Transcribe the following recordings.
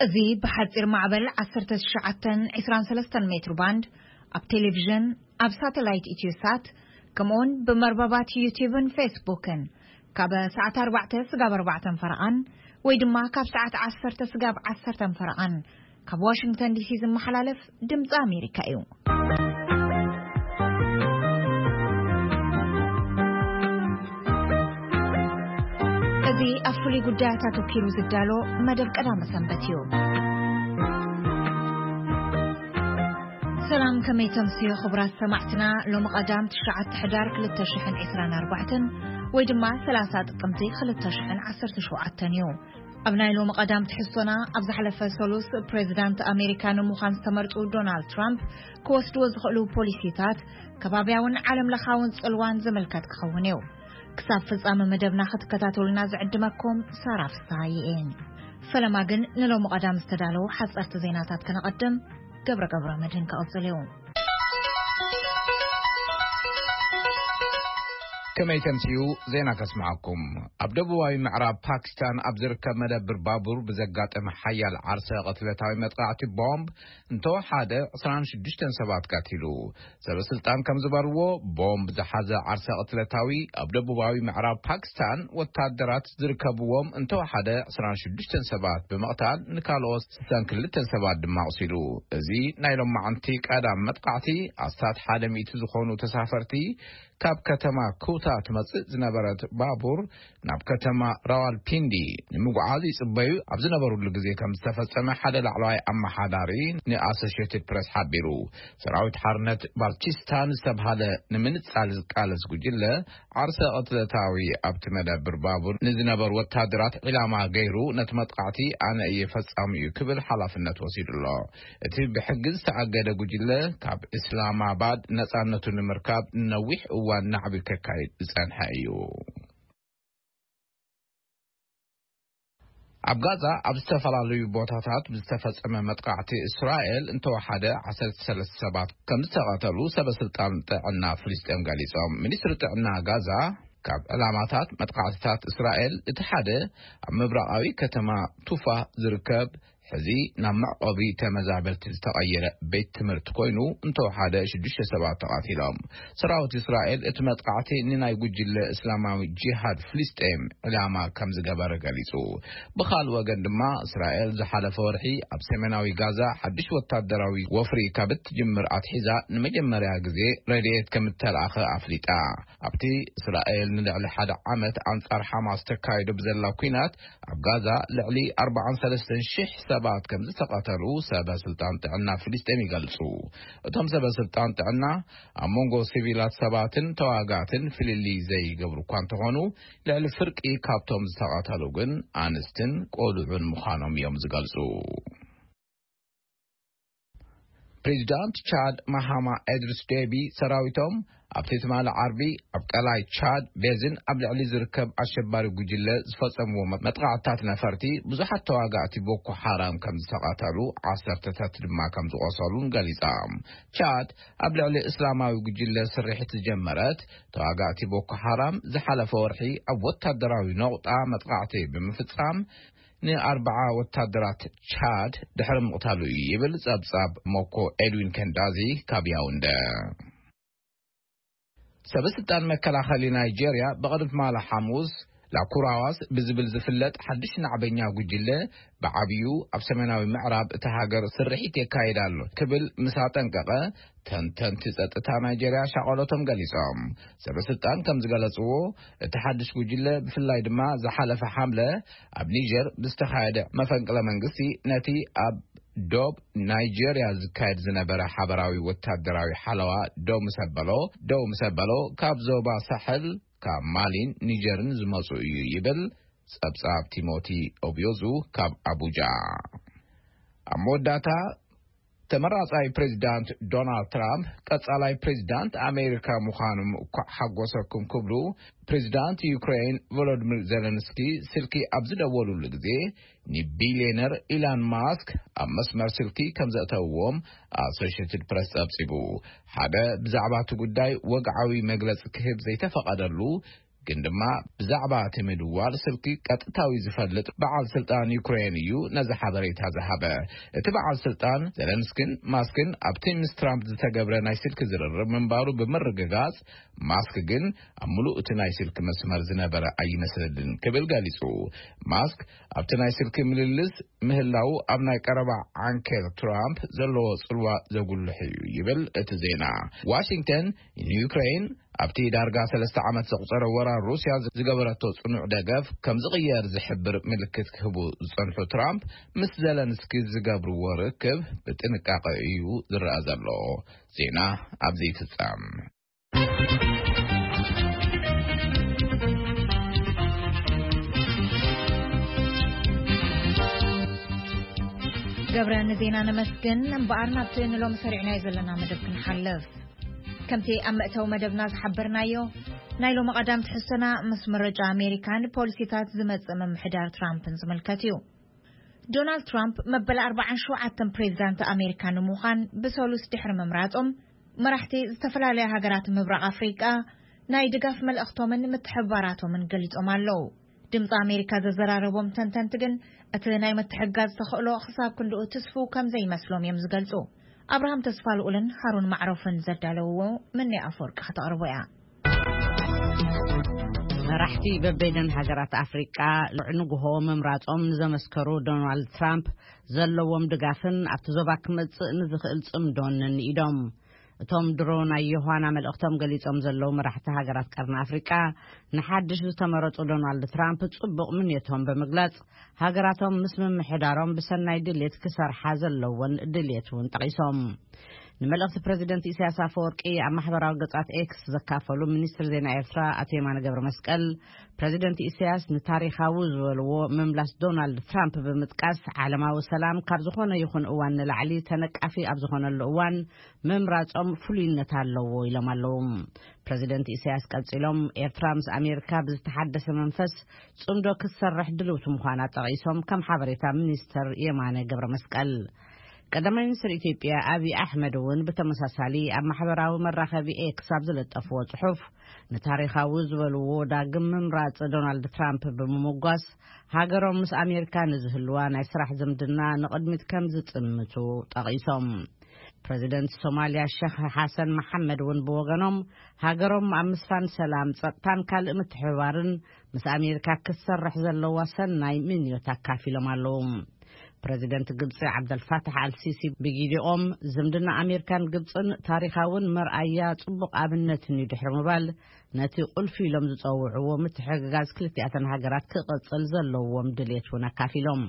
እዚ ብሓጺር ማዕበል ዓሰርተ ትሽዓተ ዕስራን ሰለስተን ሜትሮ ባንድ፣ ኣብ ቴሌቪዥን፣ ኣብ ሳተላይት ኢትዮሳት፣ ከምኡውን ብመርበባት ዩቲዩብን ፌስቡክን ካብ ሰዓት ኣርባዕተ ስጋብ ኣርባዕተን ፈረቓን ወይ ድማ ካብ ሰዓት ዓሰርተ ስጋብ ዓሰርተን ፈረቓን ካብ ዋሽንግተን ዲሲ ዝመሓላለፍ ድምፂ ኣሜሪካ እዩ። እዚ ኣብ ፍሉይ ጉዳያት ኣተኲሩ ዝዳሎ መደብ ቀዳመ ሰንበት እዩ። ሰላም፣ ከመይ ተምስዮ ክቡራት ሰማዕትና? ሎሚ ቀዳም ትሽዓተ ሕዳር ክልተ ሽሕን ዕስራን ኣርባዕተን ወይ ድማ ሰላሳ ጥቅምቲ ክልተ ሽሕን ዓሰርተ ሸውዓተን እዩ። ኣብ ናይ ሎሚ ቀዳም ትሕዝቶና፣ ኣብ ዝሓለፈ ሰሉስ ፕሬዚዳንት ኣሜሪካ ንምዃን ዝተመርጹ ዶናልድ ትራምፕ ክወስድዎ ዝኽእሉ ፖሊሲታት ከባብያውን ዓለም ለኻውን ጽልዋን ዝምልከት ክኸውን እዩ። ክሳብ ፍጻመ መደብና ክትከታተሉና ዝዕድመኩም ሳራ ፍስሃየ እየ። ፈለማ ግን ንሎሚ ቀዳም ዝተዳለዉ ሓጸርቲ ዜናታት ከነቐድም፣ ገብረ ገብረ መድህን ክቕጽል እዩ። ከመይ ተምስዩ ዜና ከስምዓኩም። ኣብ ደቡባዊ ምዕራብ ፓኪስታን ኣብ ዝርከብ መደብር ባቡር ብዘጋጠመ ሓያል ዓርሰ ቅትለታዊ መጥቃዕቲ ቦምብ እንተወሓደ ዕስራን ሽዱሽተን ሰባት ቀቲሉ። ሰበ ስልጣን ከም ዝበርዎ፣ ቦምብ ዝሓዘ ዓርሰ ቅትለታዊ ኣብ ደቡባዊ ምዕራብ ፓኪስታን ወታደራት ዝርከብዎም እንተወሓደ ዕስራን ሽዱሽተን ሰባት ብምቕታል፣ ንካልኦት ስሳን ክልተን ሰባት ድማ ኣቑሲሉ። እዚ ናይ ሎማዓንቲ ቀዳም መጥቃዕቲ፣ ኣስታት ሓደ ሚእቲ ዝኾኑ ተሳፈርቲ ካብ ከተማ ኩታ ትመጽእ ዝነበረት ባቡር ናብ ከተማ ራዋልፒንዲ ንምጉዓዝ ይጽበዩ ኣብ ዝነበሩሉ ግዜ ከም ዝተፈጸመ ሓደ ላዕለዋይ ኣመሓዳሪ ንኣሶሽየትድ ፕረስ ሓቢሩ። ሰራዊት ሓርነት ባልቺስታን ዝተብሃለ ንምንጻል ዝቃለስ ጉጅለ፣ ዓርሰ ቅትለታዊ ኣብቲ መደብር ባቡር ንዝነበሩ ወታደራት ዒላማ ገይሩ ነቲ መጥቃዕቲ ኣነ እየ ፈጻሚኡ ክብል ሓላፍነት ወሲዱ ኣሎ። እቲ ብሕጊ ዝተኣገደ ጉጅለ፣ ካብ እስላማባድ ነጻነቱ ንምርካብ ነዊሕ እዋን ናዕቢ ከካይድ ዝጸንሐ እዩ። ኣብ ጋዛ ኣብ ዝተፈላለዩ ቦታታት ብዝተፈጸመ መጥቃዕቲ፣ እስራኤል እንተወሓደ ዓሰርተ ሰለስተ ሰባት ከም ዝተቐተሉ ሰበ ስልጣን ጥዕና ፍልስጤም ገሊጾም። ሚኒስትሪ ጥዕና ጋዛ፣ ካብ ዕላማታት መጥቃዕትታት እስራኤል እቲ ሓደ ኣብ ምብራቓዊ ከተማ ቱፋ ዝርከብ፣ ሕዚ ናብ መዕቆቢ ተመዛበልቲ ዝተቐየረ ቤት ትምህርቲ ኮይኑ፣ እንተወሓደ ሽዱሽተ ሰባት ተቐቲሎም። ሰራዊት እስራኤል እቲ መጥቃዕቲ ንናይ ጉጅለ እስላማዊ ጂሃድ ፍልስጤም ዕላማ ከም ዝገበረ ገሊጹ። ብኻልእ ወገን ድማ፣ እስራኤል ዝሓለፈ ወርሒ ኣብ ሰሜናዊ ጋዛ ሓድሽ ወታደራዊ ወፍሪ ካብ እትጅምር ኣትሒዛ ንመጀመርያ ግዜ ረድኤት ከም እተላእኸ ኣፍሊጣ። ኣብቲ እስራኤል ንልዕሊ ሓደ ዓመት ኣንጻር ሓማስ ተካይዶ ብዘላ ኲናት፣ ኣብ ጋዛ ልዕሊ ኣርባዓን ሰለስተን ሽሕ ሰባት ከም ዝተቐተሉ ሰበ ስልጣን ጥዕና ፍልስጤም ይገልጹ። እቶም ሰበ ስልጣን ጥዕና፣ ኣብ መንጎ ሲቪላት ሰባትን ተዋጋእትን ፍልልይ ዘይገብሩ እኳ እንተኾኑ፣ ልዕሊ ፍርቂ ካብቶም ዝተቐተሉ ግን ኣንስትን ቆልዑን ምዃኖም እዮም ዝገልጹ። ፕሬዚዳንት ቻድ ማሃማ ኤድሪስ ዴቢ፣ ሰራዊቶም ኣብቲ ትማሊ ዓርቢ ኣብ ቀላይ ቻድ ቤዝን ኣብ ልዕሊ ዝርከብ ኣሸባሪ ጉጅለ ዝፈጸምዎ መጥቃዕትታት ነፈርቲ ብዙሓት ተዋጋእቲ ቦኮ ሓራም ከም ዝተቐተሉ፣ ዓሰርተታት ድማ ከም ዝቖሰሉን ገሊጻ። ቻድ ኣብ ልዕሊ እስላማዊ ጉጅለ ስርሒት ዝጀመረት፣ ተዋጋእቲ ቦኮ ሓራም ዝሓለፈ ወርሒ ኣብ ወታደራዊ ነቑጣ መጥቃዕቲ ብምፍጻም፣ ንኣርባዓ ወታደራት ቻድ ድሕሪ ምቕታሉ እዩ ይብል ጸብጻብ ሞኮ ኤድዊን ከንዳዚ ካብ ያውንደ። ሰበ ስልጣን መከላኸሊ ናይጄርያ፣ ብቕድሚ ትማሊ ሓሙስ ላኩራዋስ ብዝብል ዝፍለጥ ሓድሽ ናዕበኛ ጉጅለ፣ ብዓብዩ ኣብ ሰሜናዊ ምዕራብ እታ ሃገር ስርሒት የካይድ ኣሎ ክብል ምስ ኣጠንቀቐ፣ ተንተንቲ ጸጥታ ናይጄርያ ሻቐሎቶም ገሊጾም። ሰበ ስልጣን ከም ዝገለጽዎ፣ እቲ ሓድሽ ጉጅለ ብፍላይ ድማ ዝሓለፈ ሓምለ ኣብ ኒጀር ብዝተኻየደ መፈንቅለ መንግስቲ፣ ነቲ ኣብ ዶብ ናይጄርያ ዝካየድ ዝነበረ ሓበራዊ ወታደራዊ ሓለዋ ደው ምስ ኣበሎ፣ ደው ምስ ኣበሎ፣ ካብ ዞባ ሳሕል፣ ካብ ማሊን ኒጀርን ዝመጹ እዩ ይብል ጸብጻብ ቲሞቲ ኦብዮዙ ካብ ኣቡጃ። ኣብ መወዳእታ፣ ተመራጻይ ፕሬዚዳንት ዶናልድ ትራምፕ ቀጻላይ ፕሬዚዳንት ኣሜሪካ ምዃኖም እኳ ሓጎሰኩም ክብሉ፣ ፕሬዚዳንት ዩክሬን ቮሎዲሚር ዜለንስኪ ስልኪ ኣብ ዝደወሉሉ ግዜ፣ ንቢልዮነር ኢላን ማስክ ኣብ መስመር ስልኪ ከም ዘእተውዎም ኣሶሽየትድ ፕረስ ጸብጺቡ። ሓደ ብዛዕባ እቲ ጉዳይ ወግዓዊ መግለጺ ክህብ ዘይተፈቐደሉ ግን ድማ ብዛዕባ እቲ ምድዋል ስልኪ ቀጥታዊ ዝፈልጥ በዓል ስልጣን ዩክሬን እዩ ነዚ ሓበሬታ ዝሃበ። እቲ በዓል ስልጣን ዘለንስኪን ማስክን ኣብቲ ምስ ትራምፕ ዝተገብረ ናይ ስልኪ ዝርርብ ምንባሩ ብምርግጋጽ፣ ማስክ ግን ኣብ ምሉእ እቲ ናይ ስልኪ መስመር ዝነበረ ኣይመስልን ክብል ገሊጹ። ማስክ ኣብቲ ናይ ስልኪ ምልልስ ምህላው ኣብ ናይ ቀረባ ዓንኬል ትራምፕ ዘለዎ ጽልዋ ዘጉልሕ እዩ ይብል እቲ ዜና። ዋሽንግተን ንዩክሬን ኣብቲ ዳርጋ ሰለስተ ዓመት ዘቑጸረ ወራር ሩስያ ዝገበረቶ ጽኑዕ ደገፍ ከም ዝቕየር ዝሕብር ምልክት ክህቡ ዝጸንሑ ትራምፕ ምስ ዘለንስኪ ዝገብርዎ ርክብ ብጥንቃቐ እዩ ዝረኣ ዘሎ። ዜና ኣብዚ ይፍጸም። ገብረ ንዜና ነመስግን። እምበኣር ናብቲ ንሎሚ ሰሪዕናዮ ዘለና መደብ ክንሓልፍ። ከምቲ ኣብ መእተዊ መደብና ዝሓበርናዮ፣ ናይ ሎሚ ቀዳም ትሕዝቶና ምስ ምርጫ ኣሜሪካን ፖሊሲታት ዝመጽእ ምምሕዳር ትራምፕን ዝምልከት እዩ። ዶናልድ ትራምፕ መበል ኣርባዓን ሸውዓተን ፕሬዚዳንት ኣሜሪካ ንምዃን ብሰሉስ ድሕሪ ምምራጾም፣ መራሕቲ ዝተፈላለያ ሃገራት ምብራቕ ኣፍሪቃ ናይ ድጋፍ መልእኽቶምን ምትሕብባራቶምን ገሊጾም ኣለዉ። ድምፂ ኣሜሪካ ዘዘራረቦም ተንተንቲ ግን፣ እቲ ናይ ምትሕግጋዝ ተኽእሎ ክሳብ ክንድኡ ትስፉው ከም ዘይመስሎም እዮም ዝገልጹ። ኣብርሃም ተስፋልኡልን ሃሩን ማዕሮፍን ዘዳለውዎ፣ ምኒ ኣፈወርቂ ከተቕርቦ እያ። መራሕቲ በበይነን ሃገራት ኣፍሪቃ ንግሆ ምምራጾም ንዘመስከሩ ዶናልድ ትራምፕ ዘለዎም ድጋፍን ኣብቲ ዞባ ክመጽእ ንዝኽእል ጽምዶን ንኢዶም። እቶም ድሮ ናይ ዮሃና መልእኽቶም ገሊጾም ዘለዉ መራሕቲ ሃገራት ቀርኒ ኣፍሪቃ፣ ንሓድሽ ዝተመረጹ ዶናልድ ትራምፕ ጽቡቕ ምንየቶም ብምግላጽ፣ ሃገራቶም ምስ ምምሕዳሮም ብሰናይ ድሌት ክሰርሓ ዘለወን ድሌት እውን ጠቒሶም። ንመልእኽቲ ፕረዚደንት ኢሳያስ ኣፈወርቂ ኣብ ማሕበራዊ ገጻት ኤክስ ዘካፈሉ ሚኒስትር ዜና ኤርትራ ኣቶ የማነ ገብረ መስቀል፣ ፕረዚደንት ኢሳያስ ንታሪኻዊ ዝበልዎ ምምላስ ዶናልድ ትራምፕ ብምጥቃስ፣ ዓለማዊ ሰላም ካብ ዝኾነ ይኹን እዋን ንላዕሊ ተነቃፊ ኣብ ዝኾነሉ እዋን ምምራጾም ፍሉይነት ኣለዎ ኢሎም ኣለዉ። ፕረዚደንት ኢሳያስ ቀጺሎም፣ ኤርትራ ምስ ኣሜሪካ ብዝተሓደሰ መንፈስ ጽምዶ ክትሰርሕ ድልውቲ ምዃና ጠቒሶም፣ ከም ሓበሬታ ሚኒስተር የማነ ገብረ መስቀል። ቀዳማይ ሚኒስትር ኢትዮጵያ ኣብይ ኣሕመድ እውን ብተመሳሳሊ ኣብ ማሕበራዊ መራኸቢ ኤክስ ኣብ ዝለጠፍዎ ጽሑፍ፣ ንታሪኻዊ ዝበልዎ ዳግም ምምራጽ ዶናልድ ትራምፕ ብምምጓስ፣ ሃገሮም ምስ ኣሜሪካ ንዝህልዋ ናይ ስራሕ ዝምድና ንቕድሚት ከም ዝጥምቱ ጠቒሶም። ፕረዚደንት ሶማልያ ሸኽ ሓሰን መሓመድ እውን ብወገኖም፣ ሃገሮም ኣብ ምስፋን ሰላም፣ ጸጥታን ካልእ ምትሕብባርን ምስ ኣሜሪካ ክትሰርሕ ዘለዋ ሰናይ ምንዮት ኣካፊሎም ኣለዉ። ፕረዚደንት ግብጺ ዓብደልፋታሕ ኣልሲሲ ብጊዲኦም፣ ዝምድና ኣሜሪካን ግብጽን ታሪኻውን መርኣያ ጽቡቕ ኣብነትን እዩ ድሕሪ ምባል፣ ነቲ ቁልፊ ኢሎም ዝጸውዕዎ ምትሕግጋዝ ክልቲኣተን ሃገራት ክቕጽል ዘለዎም ድሌት እውን ኣካፊሎም።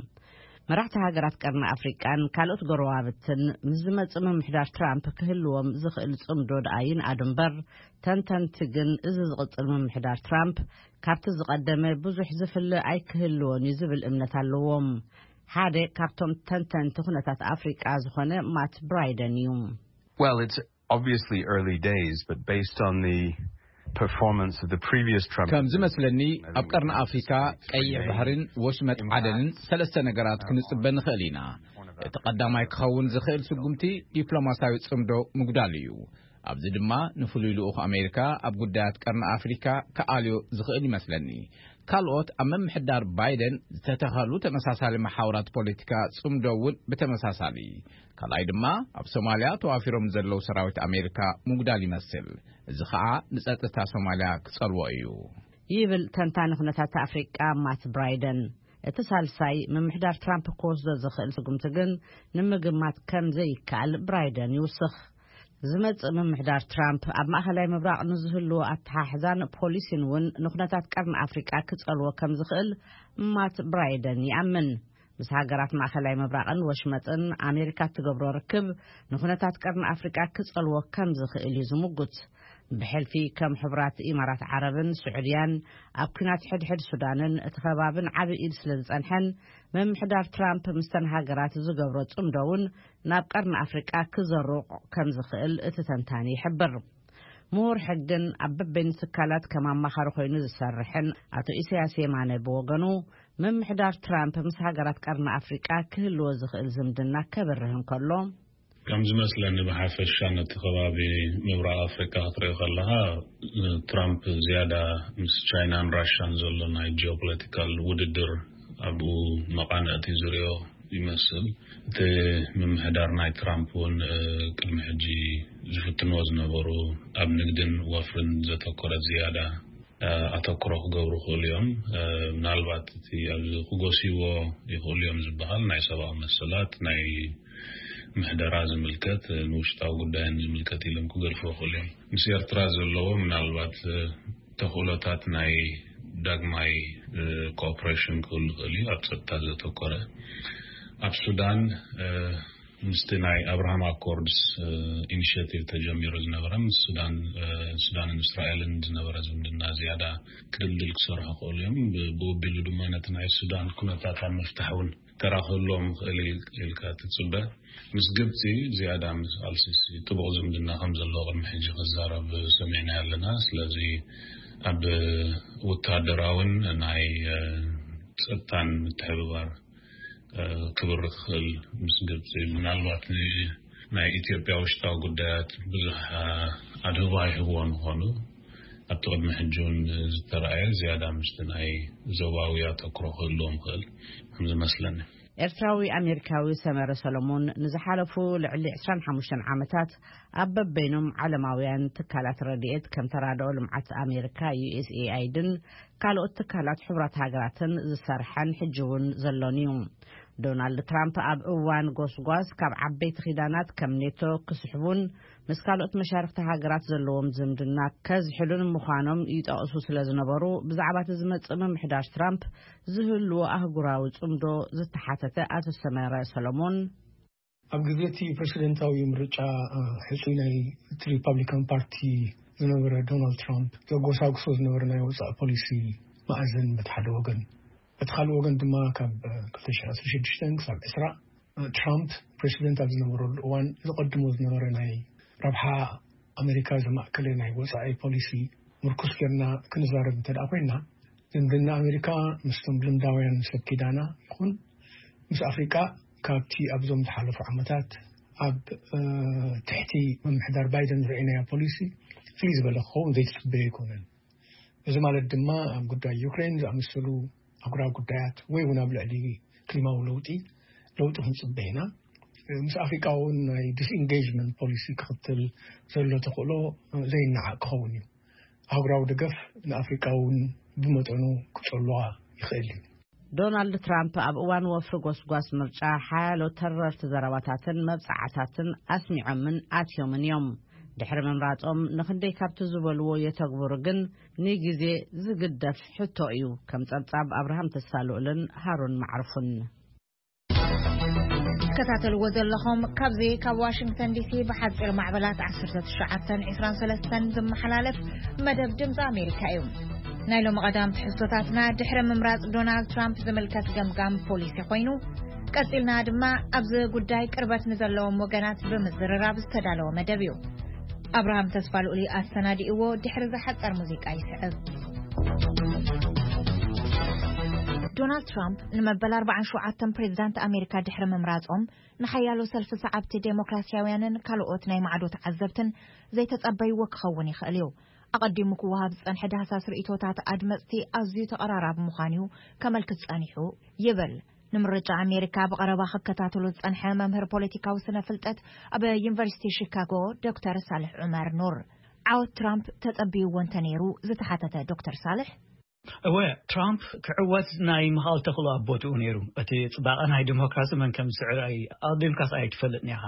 መራሕቲ ሃገራት ቀርኒ ኣፍሪቃን ካልኦት ጎረባብትን ምስ ዝመጽእ ምምሕዳር ትራምፕ ክህልዎም ዝኽእል ጽምዶ ደኣ ይንኣዱ እምበር፣ ተንተንቲ ግን እዚ ዝቕጽል ምምሕዳር ትራምፕ ካብቲ ዝቐደመ ብዙሕ ዝፍለ ኣይክህልዎን እዩ ዝብል እምነት ኣለዎም። ሓደ ካብቶም ተንተንቲ ኩነታት ኣፍሪቃ ዝኾነ ማት ብራይደን እዩ። Well, it's obviously early days, but based on the performance of the previous Trump ከም ዝመስለኒ፣ ኣብ ቀርኒ ኣፍሪካ ቀይሕ ባሕርን ወሽመጥ ዓደንን ሰለስተ ነገራት ክንጽበ ንኽእል ኢና። እቲ ቀዳማይ ክኸውን ዝኽእል ስጉምቲ ዲፕሎማሲያዊ ጽምዶ ምጉዳል እዩ። ኣብዚ ድማ ንፍሉይ ልኡኽ ኣሜሪካ ኣብ ጉዳያት ቀርኒ ኣፍሪካ ክኣልዮ ዝኽእል ይመስለኒ። ካልኦት ኣብ ምምሕዳር ባይደን ዝተተኸሉ ተመሳሳሊ መሓውራት ፖለቲካ ጽምዶ እውን ብተመሳሳሊ። ካልኣይ ድማ ኣብ ሶማልያ ተዋፊሮም ዘለዉ ሰራዊት ኣሜሪካ ምጉዳል ይመስል። እዚ ኸኣ ንጸጥታ ሶማልያ ክጸልዎ እዩ። ይብል ተንታኒ ኩነታት ኣፍሪቃ ማት ብራይደን። እቲ ሳልሳይ ምምሕዳር ትራምፕ ክወስዶ ዝኽእል ስጉምቲ ግን ንምግማት ከም ዘይከኣል ብራይደን ይውስኽ። ዝመጽእ ምምሕዳር ትራምፕ ኣብ ማእኸላይ ምብራቕ ንዝህልዎ ኣተሓሕዛን ፖሊሲን እውን ንኩነታት ቀርኒ ኣፍሪቃ ክጸልዎ ከም ዝኽእል ማት ብራይደን ይኣምን። ምስ ሃገራት ማእኸላይ ምብራቕን ወሽመጥን ኣሜሪካ እትገብሮ ርክብ ንኩነታት ቀርኒ ኣፍሪቃ ክጸልዎ ከም ዝኽእል እዩ ዝምጉት። ብሕልፊ ከም ሕቡራት ኢማራት ዓረብን ስዑድያን ኣብ ኲናት ሕድሕድ ሱዳንን እቲ ከባብን ዓቢ ኢድ ስለ ዝጸንሐን፣ ምምሕዳር ትራምፕ ምስተን ሃገራት ዝገብሮ ጽምዶ እውን ናብ ቀርኒ ኣፍሪቃ ክዘሩቕ ከም ዝኽእል እቲ ተንታኒ ይሕብር። ምሁር ሕግን ኣብ በበይኑ ትካላት ከም ኣማኻሪ ኮይኑ ዝሰርሕን ኣቶ ኢሳያስ የማነ ብወገኑ፣ ምምሕዳር ትራምፕ ምስ ሃገራት ቀርኒ ኣፍሪቃ ክህልዎ ዝኽእል ዝምድና ከብርህ እንከሎ፣ ከም ዝመስለኒ ብሓፈሻ ነቲ ከባቢ ምብራቕ ኣፍሪቃ ክትርኢ ከለኻ፣ ትራምፕ ዝያዳ ምስ ቻይናን ራሻን ዘሎ ናይ ጂኦፖለቲካል ውድድር ኣብኡ መቓንዕቲ ዝሪኦ ይመስል። እቲ ምምሕዳር ናይ ትራምፕ እውን ቅድሚ ሕጂ ዝፍትንዎ ዝነበሩ ኣብ ንግድን ወፍርን ዘተኮረ ዝያዳ ኣተኩሮ ክገብሩ ክእሉ እዮም። ምናልባት እቲ ኣብዚ ክጎስይዎ ይኽእሉ እዮም ዝበሃል ናይ ሰብኣዊ መሰላት፣ ናይ ምሕደራ ዝምልከት፣ ንውሽጣዊ ጉዳይን ዝምልከት ኢሎም ክገድፎ ይኽእሉ እዮም። ምስ ኤርትራ ዘለዎ ምናልባት ተኽእሎታት ናይ ዳግማይ ኮኦፕሬሽን ክህሉ ይኽእል እዩ፣ ኣብ ጸጥታ ዘተኮረ። ኣብ ሱዳን ምስቲ ናይ ኣብርሃም ኣኮርድስ ኢኒሽቲቭ ተጀሚሩ ዝነበረ ምስ ሱዳን ሱዳንን እስራኤልን ዝነበረ ዝምድና ዝያዳ ክድልድል ክሰርሑ ክእሉ እዮም። ብኡ ኣቢሉ ድማ ነቲ ናይ ሱዳን ኩነታት ኣብ ምፍታሕ እውን ተራ ክህልዎም ይኽእል ኢልካ ትፅበ። ምስ ግብፂ ዝያዳ ምስ ኣልሲሲ ጥቡቕ ዝምድና ከም ዘለዎ ቅድሚ ሕጂ ክዛረብ ሰሚዕና ኣለና። ስለዚ ኣብ ወታደራውን ናይ ፀጥታን ምትሕብባር ክብሪ ክኽእል ምስ ግብፂ፣ ምናልባት ናይ ኢትዮጵያ ውሽጣዊ ጉዳያት ብዙሕ ኣድህቦ ኣይህብዎ ምዃኑ ኣብቲ ቅድሚ ሕጂ እውን ዝተረኣየ ዝያዳ ምስቲ ናይ ዞባዊ ኣተኩሮ ክህልዎም ይኽእል ከም ዝመስለኒ። ኤርትራዊ ኣሜሪካዊ ሰመረ ሰሎሞን ንዝሓለፉ ልዕሊ ዕስራን ሓሙሽተን ዓመታት ኣብ በበይኖም ዓለማውያን ትካላት ረድኤት ከም ተራድኦ ልምዓት ኣሜሪካ፣ ዩ ኤስ ኤ ኣይ ድን ካልኦት ትካላት ሕቡራት ሃገራትን ዝሰርሐን ሕጂ እውን ዘሎን እዩ። ዶናልድ ትራምፕ ኣብ እዋን ጎስጓስ ካብ ዓበይቲ ኪዳናት ከም ኔቶ ክስሕቡን ምስ ካልኦት መሻርክቲ ሃገራት ዘለዎም ዝምድና ከዝሕሉን ምዃኖም ይጠቕሱ ስለ ዝነበሩ፣ ብዛዕባ እቲ ዝመጽእ ምምሕዳር ትራምፕ ዝህልዎ ኣህጉራዊ ጽምዶ ዝተሓተተ ኣቶ ሰመረ ሰሎሞን፣ ኣብ ግዜ እቲ ፕረሲደንታዊ ምርጫ ሕጹይ ናይ እቲ ሪፓብሊካን ፓርቲ ዝነበረ ዶናልድ ትራምፕ ዘጎሳጉሶ ዝነበረ ናይ ወጻኢ ፖሊሲ መኣዘን በቲ ሓደ ወገን፣ በቲ ካልእ ወገን ድማ ካብ ክልተ ሽሕን ዓሰርተ ሽዱሽተን ክሳብ ዕስራ ትራምፕ ፕረሲደንት ኣብ ዝነበረሉ እዋን ዘቐድሞ ዝነበረ ናይ ረብሓ ኣሜሪካ ዘማእከለ ናይ ወጻኢ ፖሊሲ ምርኩስ ጌርና ክንዛረብ እንተ ደኣ ኮይና፣ ዝምድና ኣሜሪካ ምስቶም ልምዳውያን ሰብ ኪዳና ይኹን ምስ ኣፍሪቃ ካብቲ ኣብዞም ዝሓለፉ ዓመታት ኣብ ትሕቲ ምምሕዳር ባይደን ዝረኣይናዮ ፖሊሲ ፍልይ ዝበለ ክኸውን ዘይትጽበዮ ኣይኮነን። እዚ ማለት ድማ ኣብ ጉዳይ ዩክሬን ዝኣመሰሉ ኣህጉራዊ ጉዳያት ወይ እውን ኣብ ልዕሊ ክሊማዊ ለውጢ ለውጢ ክንጽበ ኢና። ምስ ኣፍሪቃ እውን ናይ ዲስኢንጌጅመንት ፖሊሲ ክኽተል ዘሎ ተኽእሎ ዘይነዓቕ ክኸውን እዩ። ኣህጉራዊ ደገፍ ንኣፍሪቃ እውን ብመጠኑ ክጸልዋ ይኽእል እዩ። ዶናልድ ትራምፕ ኣብ እዋን ወፍሪ ጎስጓስ ምርጫ ሓያሎ ተረርቲ ዘረባታትን መብጻዓታትን ኣስሚዖምን ኣትዮምን እዮም። ድሕሪ ምምራጾም ንኽንደይ ካብቲ ዝበልዎ የተግብሩ ግን ንግዜ ዝግደፍ ሕቶ እዩ። ከም ጸብጻብ ኣብርሃም ተሳልኡልን ሃሩን ማዕርፉን። ትከታተልዎ ዘለኹም ካብዚ ካብ ዋሽንግተን ዲሲ ብሓጺር ማዕበላት ዓሰርተ ትሽዓተን ዕስራን ሰለስተን ዝመሓላለፍ መደብ ድምፂ ኣሜሪካ እዩ። ናይ ሎሚ ቀዳም ትሕዝቶታትና ድሕሪ ምምራጽ ዶናልድ ትራምፕ ዝምልከት ገምጋም ፖሊሲ ኮይኑ፣ ቀጺልና ድማ ኣብዚ ጉዳይ ቅርበት ንዘለዎም ወገናት ብምዝርራብ ዝተዳለወ መደብ እዩ። ኣብርሃም ተስፋ ልኡሊ ኣሰናዲእዎ ድሕሪ ዝሓጸር ሙዚቃ ይስዕብ። ዶናልድ ትራምፕ ንመበል ኣርባዓን ሸውዓተን ፕሬዚዳንት ኣሜሪካ ድሕሪ ምምራጾም ንሓያሎ ሰልፊ ሰዓብቲ ዴሞክራሲያውያንን ካልኦት ናይ ማዕዶ ተዓዘብትን ዘይተጸበይዎ ክኸውን ይኽእል እዩ። ኣቐዲሙ ክወሃብ ዝጸንሐ ዳህሳስ ርእይቶታት ኣድመጽቲ ኣዝዩ ተቐራራቢ ምዃኑ እዩ ከመልክት ጸኒሑ ይብል ንምርጫ ኣሜሪካ ብቐረባ ክከታተሎ ዝጸንሐ መምህር ፖለቲካዊ ስነ ፍልጠት ኣብ ዩኒቨርሲቲ ሺካጎ ዶክተር ሳልሕ ዑመር ኑር። ዓወት ትራምፕ ተጸብይዎ እንተ ነይሩ ዝተሓተተ ዶክተር ሳልሕ፣ እወ፣ ትራምፕ ክዕወት ናይ ምኻል ተኽእሎ ኣብ ቦትኡ ነይሩ። እቲ ጽባቐ ናይ ዲሞክራሲ መን ከም ዝስዕር ኣይ-፣ ኣቐዲምካስ ኣይትፈልጥን ኢኻ።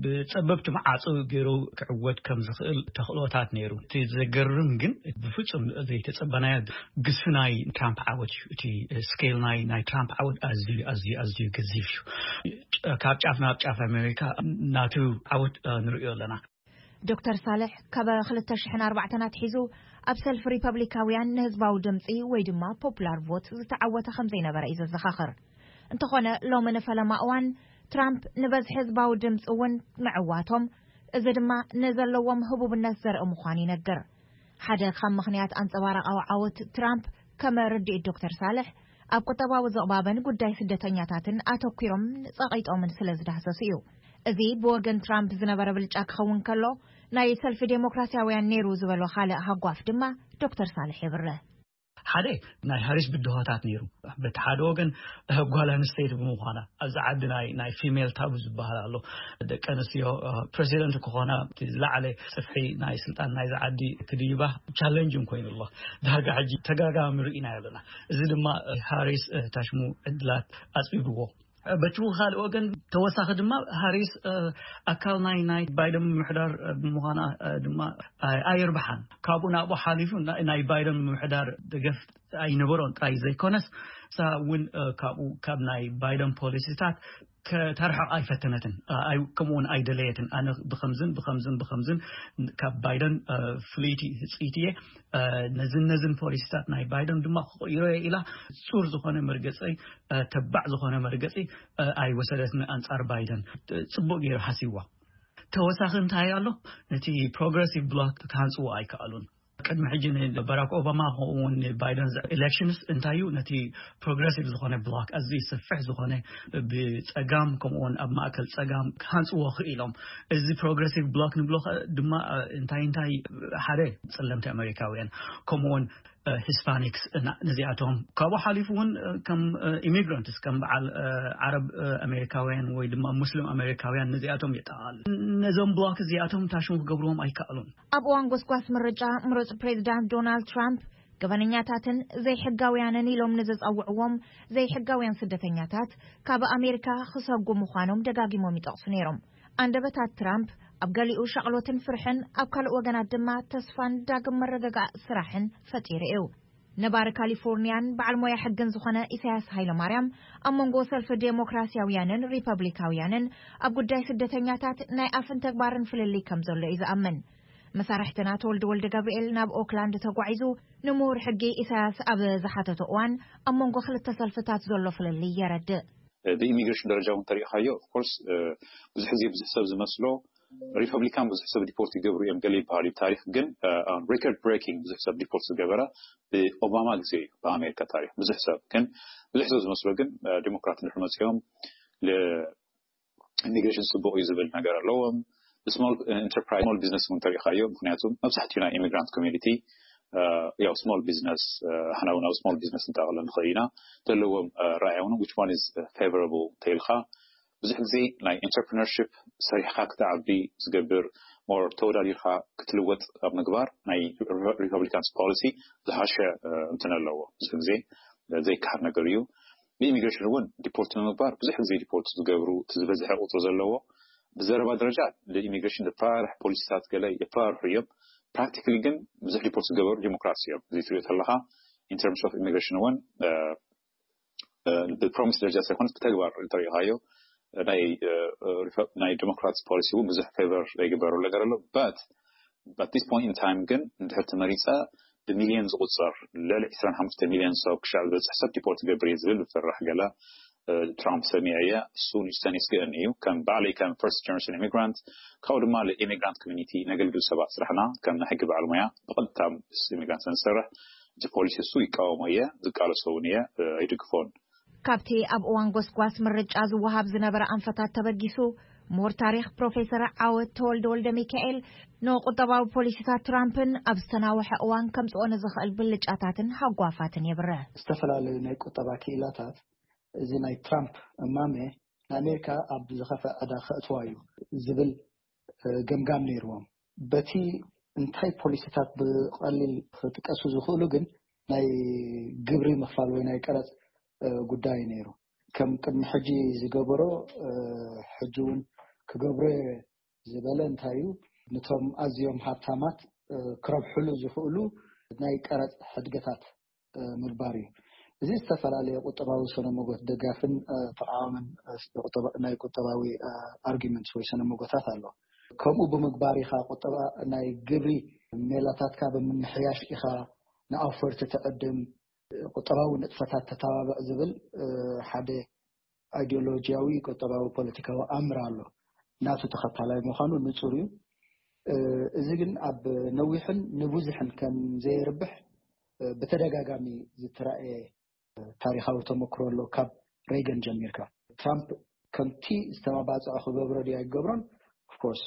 ብጸበብቲ መዓጹ ገይሩ ክዕወት ከም ዝኽእል ተኽእሎታት ነይሩ። እቲ ዘገርም ግን ብፍጹም ዘይተጸበናዮ ግዝፊ ናይ ትራምፕ ዓወት እዩ። እቲ ስኬል ናይ፣ ናይ ትራምፕ ዓወት ኣዝዩ፣ ኣዝዩ፣ ኣዝዩ ገዚፍ እዩ። ጫ-፣ ካብ ጫፍ ናብ ጫፍ ኣሜሪካ ናቱ ዓወት፣ እ፣ ንርእዮ ኣለና። ዶክተር ሳልሕ ካብ ክልተ ሽሕን ኣርባዕተን ኣትሒዙ ኣብ ሰልፊ ሪፐብሊካውያን ንህዝባዊ ድምፂ ወይ ድማ ፖፑላር ቮት ዝተዓወተ ከም ዘይነበረ እዩ ዘዘኻኽር። እንተኾነ ሎሚ ንፈለማ እዋን ትራምፕ ንበዝሒ ህዝባዊ ድምፂ እውን ምዕዋቶም፣ እዚ ድማ ንዘለዎም ህቡብነት ዘርኢ ምዃኑ ይነግር። ሓደ ካብ ምኽንያት ኣንጸባራቓዊ ዓወት ትራምፕ ከም ርድኢት ዶክተር ሳልሕ ኣብ ቁጠባዊ ዝቕባበን ጉዳይ ስደተኛታትን ኣተኲሮም ጸቒጦምን ስለ ዝዳህሰሱ እዩ። እዚ ብወገን ትራምፕ ዝነበረ ብልጫ ክኸውን ከሎ፣ ናይ ሰልፊ ዴሞክራሲያውያን ነይሩ ዝበሎ ካልእ ሃጓፍ ድማ ዶክተር ሳልሕ የብርህ። ሓደ ናይ ሃሪስ ብድሆታት ነይሩ። በቲ ሓደ ወገን ጓል ኣንስተይቲ ብምዃና ኣብዚ ዓዲ ናይ ናይ ፊሜል ታቡ ዝበሃል ኣሎ። ደቂ ኣንስትዮ ፕሬዚደንት ክኾና ዝለዓለ ጽፍሒ ናይ ስልጣን ናይዚ ዓዲ ክድይባ ቻለንጅ ኮይኑ ኣሎ። ዳርጋ ሕጂ ተጋጋሚ ርኢና ኣለና። እዚ ድማ ሃሪስ ታሽሙ ዕድላት ኣጽቢብዎ። በቲ ካልእ ወገን ተወሳኺ ድማ ሃሪስ ኣካል ናይ ናይ ባይደን ምምሕዳር ብምዃና ድማ ኣየርብሓን። ካብኡ ናብኡ ሓሊፉ ናይ ባይደን ምምሕዳር ደገፍ ኣይነበሮን ጥራይ ዘይኮነስ፣ እሳ እውን ካብኡ ካብ ናይ ባይደን ፖሊሲታት ከተርሕቕ ኣይፈተነትን። ከምኡውን ኣይደለየትን። ኣነ ብከምዝን ብከምዝን ብከምዝን ካብ ባይደን ፍልይቲ ህፅይቲ እየ፣ ነዝን ነዝን ፖሊሲታት ናይ ባይደን ድማ ክቕይሮ እየ ኢላ ፁር ዝኾነ መርገፂ፣ ተባዕ ዝኾነ መርገፂ ኣይወሰደትን ኣንፃር ባይደን። ፅቡቅ ገይሩ ሓሲዋ። ተወሳኺ እንታይ ኣሎ? ነቲ ፕሮግረሲቭ ብሎክ ክሃንፅዎ ኣይከኣሉን። ቅድሚ ሕጂ ንባራክ ኦባማ ከምኡውን ንባይደን ኤሌክሽንስ እንታይ እዩ ነቲ ፕሮግረሲቭ ዝኾነ ብሎክ ኣዝዩ ሰፍሕ ዝኾነ ብፀጋም ከምኡውን ኣብ ማእከል ፀጋም ክሃንፅዎ ክኢሎም። እዚ ፕሮግረሲቭ ብሎክ ንብሎ ከ ድማ እንታይ እንታይ ሓደ ፅለምቲ ኣሜሪካውያን ከምኡውን ሂስፓኒክስ ነዚኣቶም ካብኡ ሓሊፉ እውን ከም ኢሚግራንትስ ከም በዓል ዓረብ ኣሜሪካውያን ወይ ድማ ሙስሊም ኣሜሪካውያን ነዚኣቶም የጠቓልል። ነዞም ብሎክ እዚኣቶም ታሽሙ ክገብርዎም ኣይከኣሉን። ኣብ እዋን ጎስጓስ ምርጫ ምሩጽ ፕሬዚዳንት ዶናልድ ትራምፕ ገበነኛታትን ዘይሕጋውያንን ኢሎም ንዝጸውዕዎም ዘይሕጋውያን ስደተኛታት ካብ ኣሜሪካ ክሰጉ ምዃኖም ደጋጊሞም ይጠቕሱ ነይሮም። ኣንደበታት ትራምፕ ኣብ ገሊኡ ሻቕሎትን ፍርሕን፣ ኣብ ካልእ ወገናት ድማ ተስፋን ዳግም መረጋጋእ ስራሕን ፈጢሩ እዩ። ነባሪ ካሊፎርኒያን በዓል ሞያ ሕግን ዝኾነ ኢሳያስ ሃይለማርያም ኣብ መንጎ ሰልፊ ዴሞክራሲያውያንን ሪፐብሊካውያንን ኣብ ጉዳይ ስደተኛታት ናይ ኣፍን ተግባርን ፍልልይ ከም ዘሎ እዩ ዝኣምን። መሳርሕትና ተወልደ ወልደ ገብርኤል ናብ ኦክላንድ ተጓዒዙ ንምሁር ሕጊ ኢሳያስ ኣብ ዝሓተቶ እዋን ኣብ መንጎ ክልተ ሰልፍታት ዘሎ ፍልልይ የረድእ። ብኢሚግሬሽን ደረጃ እውን ተሪኢኻዮ ኦፍኮርስ ብዙሕ ግዜ ብዙሕ ሰብ ዝመስሎ ሪፐብሊካን ብዙሕ ሰብ ዲፖርት ይገብሩ እዮም ገለ ይበሃል እዩ ታሪክ ግን ሪከርድ ብሬኪንግ ብዙሕ ሰብ ዲፖርት ዝገበረ ብኦባማ ግዜ እዩ ብኣሜሪካ ታሪክ ብዙሕ ሰብ ግን ብዙሕ ሰብ ዝመስሎ ግን ዲሞክራት እንድሕር መፅኦም ኢሚግሬሽን ፅቡቅ እዩ ዝብል ነገር ኣለዎም። ስሞል ኢንተርፕራይዝ ስሞል ቢዝነስ እውን ተሪኢኻዮ ምክንያቱ መብዛሕትኡ ናይ ኢሚግራንት ኮሚኒቲ ያው ስሞል ቢዝነስ ሓና እውን ኣብ ስሞል ቢዝነስ እንጠቕለ ንኽእል ኢና ዘለዎም ራእያ እውን which one is favorable ተይልካ ብዙሕ ግዜ ናይ ኢንተርፕረነርሽፕ ሰሪሕካ ክትዓቢ ዝገብር ሞር ተወዳዲርካ ክትልወጥ ኣብ ምግባር ናይ ሪፐብሊካንስ ፖሊሲ ዝሓሸ እንትን ኣለዎ ብዙሕ ግዜ ዘይከሓድ ነገር እዩ። ብኢሚግሬሽን እውን ዲፖርት ንምግባር ብዙሕ ግዜ ዲፖርት ዝገብሩ ዝበዝሐ ቁፅሪ ዘለዎ ብዘረባ ደረጃ ኢሚግሬሽን ዝፈራርሕ ፖሊሲታት ገለ የፈራርሑ እዮም። ፕራክቲካሊ ግን ብዙሕ ዲፖርት ዝገበሩ ዲሞክራሲ እዮም እዚ ትሪኦ ተለካ ኢንተርምስ ኦፍ ኢሚግሬሽን እውን ብፕሮሚስ ደረጃ ሳይኮነስ ብተግባር እንተሪኢኻዮ ናይ ናይ ዲሞክራትስ ፖሊሲ እውን ብዙሕ ፌቨር ዘይግበረሉ ነገር ኣሎ but at this point in time ግን እንድሕር ተመሪፀ ብሚልዮን ዝቁፀር ልዕሊ ዕስራን ሓሙሽተ ሚልዮን ሰብ ክሻዕ ዝበፅሕ ሰብ ዲፖርት ገብር እየ ዝብል ዝፈራሕ ገለ ትራምፕ ሰሚዐ እየ እሱ ንስተን ይስግእን እዩ ከም ባዕለይ ከም ፈርስት ጀነሬሽን ኢሚግራንት ካብኡ ድማ ንኢሚግራንት ኮሚኒቲ ነገልግል ሰባት ስራሕና ከም ናይ ሕጊ በዓል ሙያ ብቐጥታ ምስ ኢሚግራንት ንሰርሕ እቲ ፖሊሲ እሱ ይቃወሞ እየ ዝቃለሶ እውን እየ ኣይድግፎን። ካብቲ ኣብ እዋን ጎስጓስ ምርጫ ዝወሃብ ዝነበረ ኣንፈታት ተበጊሱ ምሁር ታሪኽ ፕሮፌሰር ዓወት ተወልደ ወልደ ሚካኤል ንቁጠባዊ ፖሊሲታት ትራምፕን ኣብ ዝተናውሐ እዋን ከምፅኦ ንዝኽእል ብልጫታትን ሃጓፋትን የብርህ። ዝተፈላለዩ ናይ ቁጠባ ክኢላታት እዚ ናይ ትራምፕ እማመ ንኣሜሪካ ኣብ ዝኸፍአ ዕዳ ከእትዋ እዩ ዝብል ገምጋም ነይርዎም። በቲ እንታይ ፖሊሲታት ብቐሊል ክጥቀሱ ዝኽእሉ ግን ናይ ግብሪ ምኽፋል ወይ ናይ ቀረፅ ጉዳይ ነይሩ። ከም ቅድሚ ሕጂ ዝገበሮ ሕጂ እውን ክገብሮ ዝበለ እንታይ እዩ? ነቶም ኣዝዮም ሃብታማት ክረብሕሉ ዝኽእሉ ናይ ቀረፅ ሕድገታት ምግባር እዩ። እዚ ዝተፈላለየ ቁጠባዊ ሰነመጎት ደጋፍን ተቃዋምን ናይ ቁጠባዊ ኣርጊመንትስ ወይ ሰነመጎታት ኣሎ። ከምኡ ብምግባር ኢኻ ቁጠባ ናይ ግብሪ ሜላታትካ ብምምሕያሽ ኢኻ ንኣውፈርቲ ትዕድም፣ ቁጠባዊ ንጥፈታት ተተባብዕ ዝብል ሓደ ኣይዲዮሎጂያዊ ቁጠባዊ ፖለቲካዊ ኣምር ኣሎ። ናቱ ተኸታላይ ምዃኑ ንጹር እዩ። እዚ ግን ኣብ ነዊሕን ንብዙሕን ከም ዘየርብሕ ብተደጋጋሚ ዝተራእየ ታሪኻዊ ተመክሮ ኣሎ። ካብ ሬገን ጀሚርካ ትራምፕ ከምቲ ዝተማባፅዖ ክገብሮ ድዩ ኣይገብሮን? Of course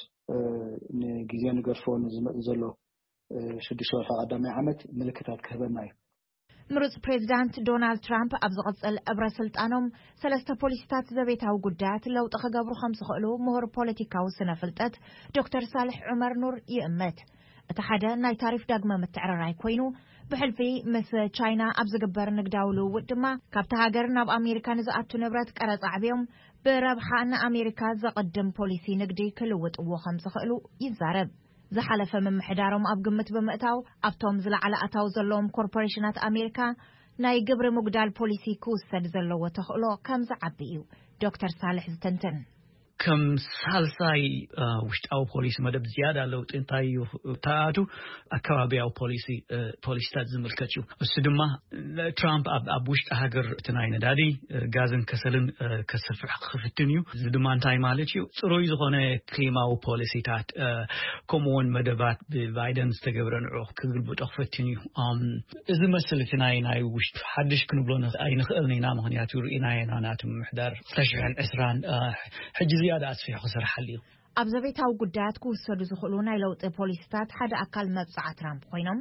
ንግዜ ንገድፎ ንዝመፅ ዘሎ ሽዱሽተ ወርሒ ቀዳማይ ዓመት ምልክታት ክህበና እዩ። ምሩጽ ፕሬዚዳንት ዶናልድ ትራምፕ ኣብ ዝቕጽል እብረ ስልጣኖም ሰለስተ ፖሊሲታት ዘቤታዊ ጉዳያት ለውጢ ክገብሩ ከም ዝኽእሉ ምሁር ፖለቲካዊ ስነ ፍልጠት ዶክተር ሳልሕ ዑመር ኑር ይእምት። እቲ ሓደ ናይ ታሪፍ ዳግመ ምትዕርራይ ኮይኑ፣ ብሕልፊ ምስ ቻይና ኣብ ዝግበር ንግዳዊ ልውውጥ ድማ ካብቲ ሃገር ናብ ኣሜሪካ ንዝኣቱ ንብረት ቀረጽ ኣዕብዮም ብረብሓ ንኣሜሪካ ዘቕድም ፖሊሲ ንግዲ ክልውጥዎ ከም ዝኽእሉ ይዛረብ። ዝሓለፈ ምምሕዳሮም ኣብ ግምት ብምእታው፣ ኣብቶም ዝለዓለ ኣታዊ ዘለዎም ኮርፖሬሽናት ኣሜሪካ ናይ ግብሪ ምጉዳል ፖሊሲ ክውሰድ ዘለዎ ተኽእሎ ከም ዝዓቢ እዩ ዶክተር ሳልሕ ዝትንትን። ከም ሳልሳይ ውሽጣዊ ፖሊሲ መደብ ዝያዳ ለውጢ እንታይ እዩ ተኣቱ? ኣከባቢያዊ ፖሊሲ ፖሊሲታት ዝምልከት እዩ። እሱ ድማ ትራምፕ ኣብ ውሽጢ ሃገር እቲ ናይ ነዳዲ፣ ጋዝን ከሰልን ከስፍሕ ክፍትን እዩ። እዚ ድማ እንታይ ማለት እዩ? ጽሩይ ዝኾነ ክሊማዊ ፖሊሲታት፣ ከምኡውን መደባት ብባይደን ዝተገብረ ንዑ ክግልብጦ ክፍትን እዩ። እዚ መስል እቲ ናይ ናይ ውሽጢ ሓድሽ ክንብሎ ኣይንኽእልን ኢና። ምኽንያቱ ርኢናዮ ኢና፣ ናቲ ምምሕዳር ክልተ ሽሕን ዕስራን ሕጂ ዝያዳ ኣስፊሑ ክሰርሓሉ እዩ። ኣብ ዘቤታዊ ጉዳያት ክውሰዱ ዝኽእሉ ናይ ለውጢ ፖሊሲታት ሓደ ኣካል መብጽዓ ትራምፕ ኮይኖም፣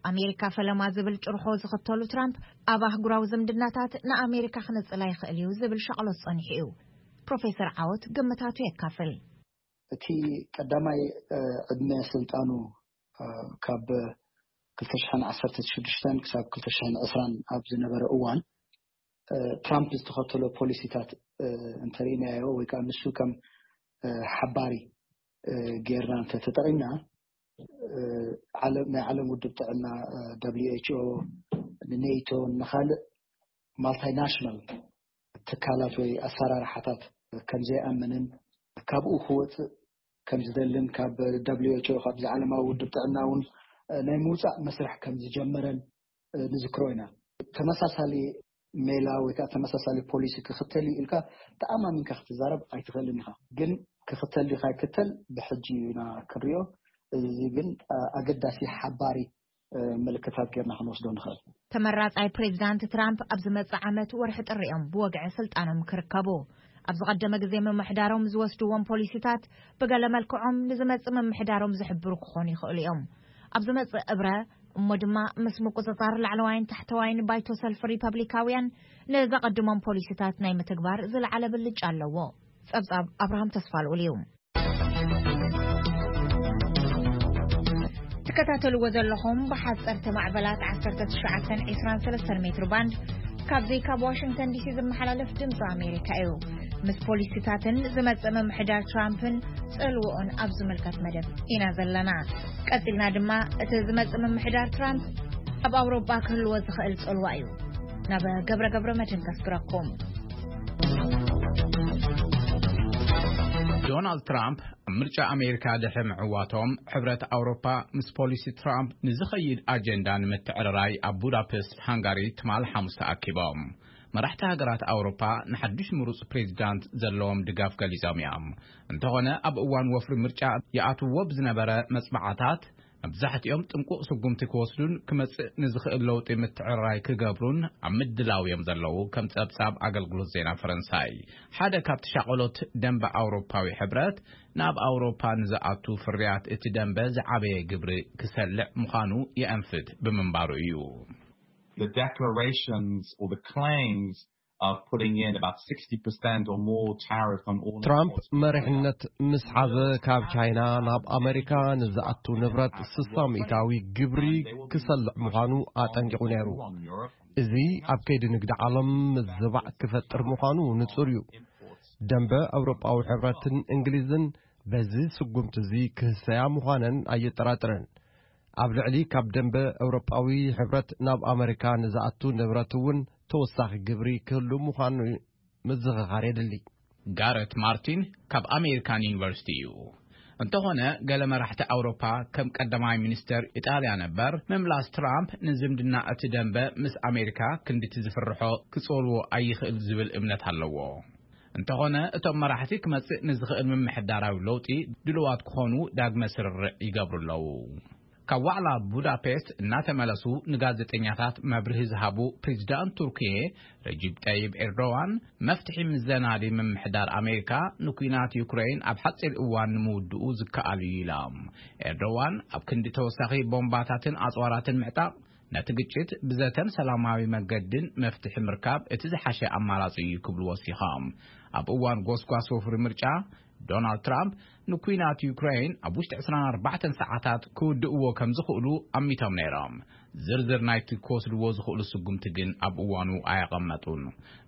ኣሜሪካ ፈለማ ዝብል ጭርሖ ዝኽተሉ ትራምፕ፣ ኣብ ኣህጉራዊ ዝምድናታት ንኣሜሪካ ክነጽላ ይኽእል እዩ ዝብል ሻቕሎት ጸኒሑ እዩ። ፕሮፌሰር ዓወት ግምታቱ የካፍል። እቲ ቀዳማይ ዕድመ ስልጣኑ ካብ ክልተ ሽሕን ዓሰርተ ሽዱሽተን ክሳብ ክልተ ሽሕን ዕስራን ኣብ ዝነበረ እዋን ትራምፕ ዝተኸተሎ ፖሊሲታት እንተርኢናዮ፣ ወይ ከዓ ንሱ ከም ሓባሪ ጌርና እንተተጠቒምና፣ ናይ ዓለም ውድብ ጥዕና፣ ደብሊው ኤች ኦ፣ ንኔቶ፣ ንኻልእ ማልቲናሽናል ትካላት ወይ ኣሰራርሓታት ከም ዘይኣምንን፣ ካብኡ ክወፅእ ከም ዝደልን፣ ካብ ደብሊው ኤች ኦ፣ ካብዚ ዓለማዊ ውድብ ጥዕና እውን ናይ ምውፃእ መስርሕ ከም ዝጀመረን ንዝክሮ ኢና። ተመሳሳሊ ሜላ ወይ ከዓ ተመሳሳሊ ፖሊሲ ክኽተል እዩ ኢልካ ተኣማሚንካ ክትዛረብ ኣይትኽእልን ኢኻ። ግን ክኽተል ድዩ ካይክተል ብሕጂ ኢና ክንሪኦ። እዚ ግን ኣገዳሲ ሓባሪ ምልክታት ጌርና ክንወስዶ ንኽእል። ተመራጻይ ፕሬዚዳንት ትራምፕ ኣብ ዝመጽእ ዓመት ወርሒ ጥሪ እዮም ብወግዒ ስልጣኖም ክርከቡ። ኣብ ዝቐደመ ግዜ ምምሕዳሮም ዝወስድዎም ፖሊሲታት ብገለ መልክዖም ንዝመጽእ ምምሕዳሮም ዝሕብሩ ክኾኑ ይኽእሉ እዮም። ኣብ ዝመጽእ እብረ እሞ ድማ ምስ ምቁጽጻር ላዕለዋይን ታሕተዋይን ባይቶ ሰልፊ ሪፐብሊካውያን ንዘቐድሞም ፖሊሲታት ናይ ምትግባር ዝለዓለ ብልጫ ኣለዎ። ጸብጻብ ኣብርሃም ተስፋልኡል እዩ። ትከታተልዎ ዘለኹም ብሓፀርቲ ማዕበላት ዓሰርተ ትሽዓተን ዕስራን ሰለስተን ሜትሮ ባንድ ካብዚ ካብ ዋሽንግተን ዲሲ ዝመሓላለፍ ድምፂ ኣሜሪካ እዩ። ምስ ፖሊሲታትን ዝመፅእ ምምሕዳር ትራምፕን ፅልውኡን ኣብ ዝምልከት መደብ ኢና ዘለና። ቀፂልና ድማ እቲ ዝመፅእ ምምሕዳር ትራምፕ ኣብ ኣውሮጳ ክህልዎ ዝኽእል ፅልዋ እዩ። ናብ ገብረ ገብረ መድህን ከስግረኩም። ዶናልድ ትራምፕ ኣብ ምርጫ ኣሜሪካ ድሕሪ ምዕዋቶም፣ ሕብረት ኣውሮፓ ምስ ፖሊሲ ትራምፕ ንዝኸይድ ኣጀንዳ ንምትዕርራይ ኣብ ቡዳፔስት ሃንጋሪ ትማል ሓሙስ ተኣኪቦም። መራሕቲ ሃገራት ኣውሮፓ ንሓድሽ ምሩጽ ፕሬዚዳንት ዘለዎም ድጋፍ ገሊጾም እዮም። እንተኾነ፣ ኣብ እዋን ወፍሪ ምርጫ ይኣትዎ ብዝነበረ መጽባዕታት፣ መብዛሕትኦም ጥንቁቕ ስጉምቲ ክወስዱን ክመጽእ ንዝኽእል ለውጢ ምትዕርራይ ክገብሩን ኣብ ምድላው እዮም ዘለዉ፣ ከም ጸብጻብ ኣገልግሎት ዜና ፈረንሳይ። ሓደ ካብቲ ሻቐሎት ደንበ ኣውሮፓዊ ሕብረት፣ ናብ ኣውሮፓ ንዝኣቱ ፍርያት እቲ ደንበ ዝዓበየ ግብሪ ክሰልዕ ምዃኑ የኣንፍት ብምንባሩ እዩ። The declarations or the claims of putting in about sixty percent or more tariff on all ትራምፕ መሪሕነት ምስ ሓዘ፣ ካብ ቻይና ናብ ኣመሪካ ንዝኣቱ ንብረት ስሳ ሚእታዊ ግብሪ ክሰልዕ ምዃኑ ኣጠንቂቑ ነይሩ። እዚ ኣብ ከይዲ ንግዲ ዓለም ምዝባዕ ክፈጥር ምዃኑ ንጹር እዩ። ደንበ ኣውሮጳዊ ሕብረትን እንግሊዝን በዚ ስጉምቲ እዚ ክህሰያ ምዃነን ኣየጠራጥርን። ኣብ ልዕሊ ካብ ደንበ ኣውሮጳዊ ሕብረት ናብ ኣመሪካ ንዝኣቱ ንብረት እውን ተወሳኺ ግብሪ ክህሉ ምዃኑ ምዝኽኻር የድሊ። ጋረት ማርቲን ካብ ኣሜሪካን ዩኒቨርሲቲ እዩ። እንተኾነ፣ ገለ መራሕቲ ኣውሮፓ፣ ከም ቀዳማይ ሚኒስተር ኢጣልያ ነበር፣ ምምላስ ትራምፕ ንዝምድና እቲ ደንበ ምስ ኣሜሪካ ክንድቲ ዝፍርሖ ክጸልዎ ኣይኽእል ዝብል እምነት ኣለዎ። እንተኾነ፣ እቶም መራሕቲ ክመጽእ ንዝኽእል ምምሕዳራዊ ለውጢ ድሉዋት ክኾኑ ዳግመ ስርርዕ ይገብሩ ኣለዉ። ካብ ዋዕላ ቡዳፔስት እናተመለሱ ንጋዜጠኛታት መብርሂ ዝሃቡ ፕሬዚዳንት ቱርኪየ ረጂብ ጠይብ ኤርዶዋን፣ መፍትሒ ምስ ዘናዲ ምምሕዳር ኣሜሪካ ንኲናት ዩክሬን ኣብ ሓጺር እዋን ንምውድኡ ዝከኣል እዩ ኢሎም። ኤርዶዋን ኣብ ክንዲ ተወሳኺ ቦምባታትን ኣጽዋራትን ምዕጣቕ፣ ነቲ ግጭት ብዘተን ሰላማዊ መገድን መፍትሒ ምርካብ እቲ ዝሓሸ ኣማራጺ እዩ ክብሉ ወሲኾም። ኣብ እዋን ጎስጓስ ወፍሪ ምርጫ፣ ዶናልድ ትራምፕ ንኲናት ዩክሬን ኣብ ውሽጢ ዕስራን ኣርባዕተን ሰዓታት ክውድእዎ ከም ዝኽእሉ ኣሚቶም ነይሮም። ዝርዝር ናይቲ ክወስድዎ ዝኽእሉ ስጉምቲ ግን ኣብ እዋኑ ኣየቐመጡን።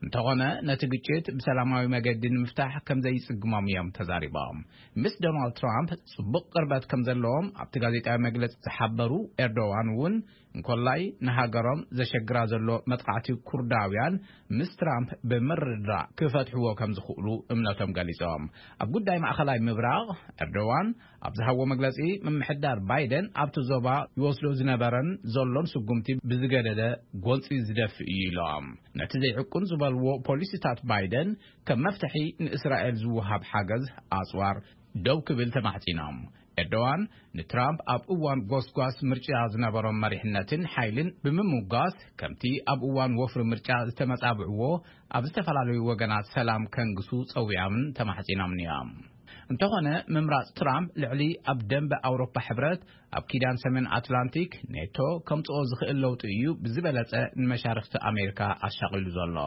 እንተኾነ፣ ነቲ ግጭት ብሰላማዊ መገዲ ንምፍታሕ ከም ዘይጽግሞም እዮም ተዛሪቦም። ምስ ዶናልድ ትራምፕ ጽቡቕ ቅርበት ከም ዘለዎም ኣብቲ ጋዜጣዊ መግለጺ ዝሓበሩ ኤርዶዋን እውን፣ እንኮላይ ንሃገሮም ዘሸግራ ዘሎ መጥቃዕቲ ኩርዳውያን ምስ ትራምፕ ብምርድዳእ ክፈትሕዎ ከም ዝኽእሉ እምነቶም ገሊጾም። ኣብ ጉዳይ ማእኸላይ ምብራቕ፣ ኤርዶዋን ኣብ ዝሃብዎ መግለጺ፣ ምምሕዳር ባይደን ኣብቲ ዞባ ይወስዶ ዝነበረን ዘሎን ስጉምቲ ብዝገደደ ጎንጺ ዝደፍእ እዩ ኢሎም። ነቲ ዘይዕቁን ዝበልዎ ፖሊሲታት ባይደን፣ ከም መፍትሒ ንእስራኤል ዝወሃብ ሓገዝ ኣጽዋር ደው ክብል ተማሕጺኖም። ኤርዶዋን ንትራምፕ ኣብ እዋን ጎስጓስ ምርጫ ዝነበሮም መሪሕነትን ሓይልን ብምምጓስ፣ ከምቲ ኣብ እዋን ወፍሪ ምርጫ ዝተመጻብዕዎ ኣብ ዝተፈላለዩ ወገናት ሰላም ከንግሱ ጸዊዖምን ተማሕጺኖምን እዮም። እንተኾነ፣ ምምራጽ ትራምፕ ልዕሊ ኣብ ደንበ ኣውሮፓ ሕብረት፣ ኣብ ኪዳን ሰሜን ኣትላንቲክ ኔቶ ከምጽኦ ዝኽእል ለውጢ እዩ ብዝበለጸ ንመሻርኽቲ ኣሜሪካ ኣሻቒሉ ዘሎ።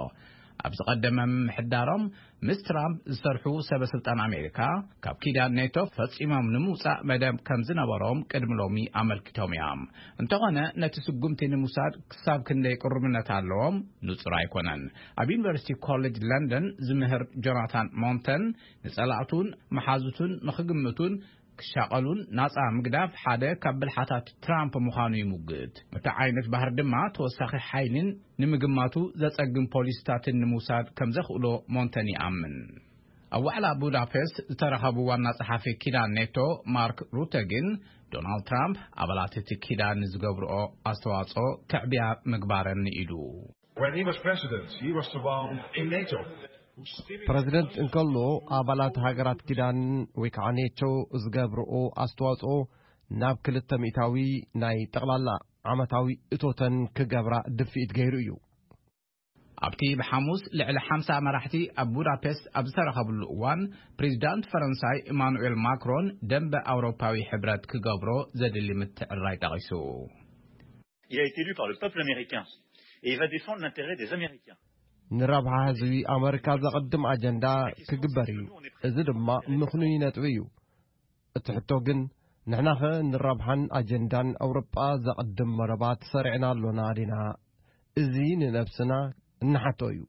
ኣብ ዝቐደመ ምምሕዳሮም ምስ ትራምፕ ዝሰርሑ ሰበ ስልጣን ኣሜሪካ፣ ካብ ኪዳን ኔቶ ፈጺሞም ንምውጻእ መደብ ከም ዝነበሮም ቅድሚ ሎሚ ኣመልኪቶም እዮም። እንተኾነ፣ ነቲ ስጉምቲ ንምውሳድ ክሳብ ክንደይ ቅሩብነት ኣለዎም ንጹር ኣይኮነን። ኣብ ዩኒቨርሲቲ ኮሌጅ ለንደን ዝምህር ጆናታን ሞንተን፣ ንጸላእቱን መሓዙቱን ንኽግምቱን ክሻቐሉን ናጻ ምግዳፍ ሓደ ካብ ብልሓታት ትራምፕ ምዃኑ ይሙግት። እቲ ዓይነት ባህሪ ድማ ተወሳኺ ሓይልን ንምግማቱ ዘጸግም ፖሊሲታትን ንምውሳድ ከም ዘኽእሎ ሞንተን ይኣምን። ኣብ ዋዕላ ቡዳፔስት ዝተረኸቡ ዋና ጸሓፊ ኪዳን ኔቶ ማርክ ሩተ ግን፣ ዶናልድ ትራምፕ ኣባላት እቲ ኪዳን ንዝገብርኦ ኣስተዋጽኦ ከዕብያ ምግባረን ንኢዱ። When he was president, he was the one in NATO who stimulated ፕረዚደንት እንከሎ፣ ኣባላት ሃገራት ኪዳን ወይ ከዓ ኔቶ ዝገብርኦ ኣስተዋጽኦ ናብ ክልተ ሚእታዊ ናይ ጠቕላላ ዓመታዊ እቶተን ክገብራ ድፍኢት ገይሩ እዩ። ኣብቲ ብሓሙስ ልዕሊ ሓምሳ መራሕቲ ኣብ ቡዳፔስት ኣብ ዝተረኸብሉ እዋን፣ ፕሬዚዳንት ፈረንሳይ ኢማኑኤል ማክሮን ደንበ ኣውሮፓዊ ሕብረት ክገብሮ ዘድሊ ምትዕርራይ ጠቒሱ። Il a été élu par le peuple américain et il va défendre l'intérêt des Américains. ንረብሓ ህዝቢ ኣመሪካ ዘቐድም ኣጀንዳ ክግበር እዩ። እዚ ድማ ምኽኑይ ነጥቢ እዩ። እቲ ሕቶ ግን፣ ንሕናኸ ንረብሓን ኣጀንዳን ኣውሮጳ ዘቐድም መረባት ሰሪዕና ኣሎና ዲና? እዚ ንነብስና እንሓቶ እዩ።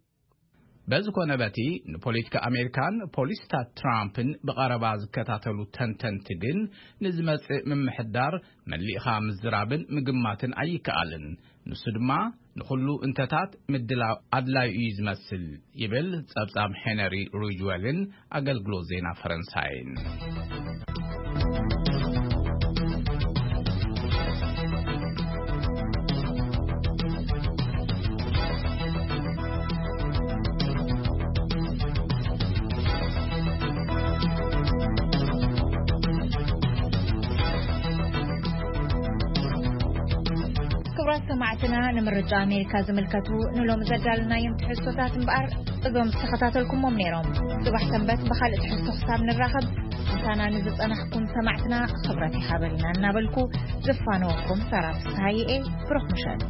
በዚ ኮነ በቲ፣ ንፖለቲካ ኣሜሪካን ፖሊሲታት ትራምፕን ብቐረባ ዝከታተሉ ተንተንቲ ግን፣ ንዝመጽእ ምምሕዳር መሊእኻ ምዝራብን ምግማትን ኣይከኣልን። ንሱ ድማ ንኹሉ እንተታት ምድላው ኣድላዩ እዩ ዝመስል፣ ይብል ጸብጻብ ሄነሪ ሪጅዌልን ኣገልግሎት ዜና ፈረንሳይን። ክቡራት ሰማዕትና፣ ንምርጫ ኣሜሪካ ዝምልከቱ ንሎሚ ዘዳልናዮም ትሕዝቶታት እምበኣር፣ እዞም ዝተኸታተልኩሞም ነይሮም። ጽባሕ ሰንበት ብኻልእ ትሕዝቶ ክሳብ ንራኸብ፣ ምሳና ንዝጸናሕኩም ሰማዕትና ክብረት ይሃበልና እናበልኩ፣ ዝፋነወኩም ሰራ ፍስሃየ እየ። ብሩኽ ምሸት።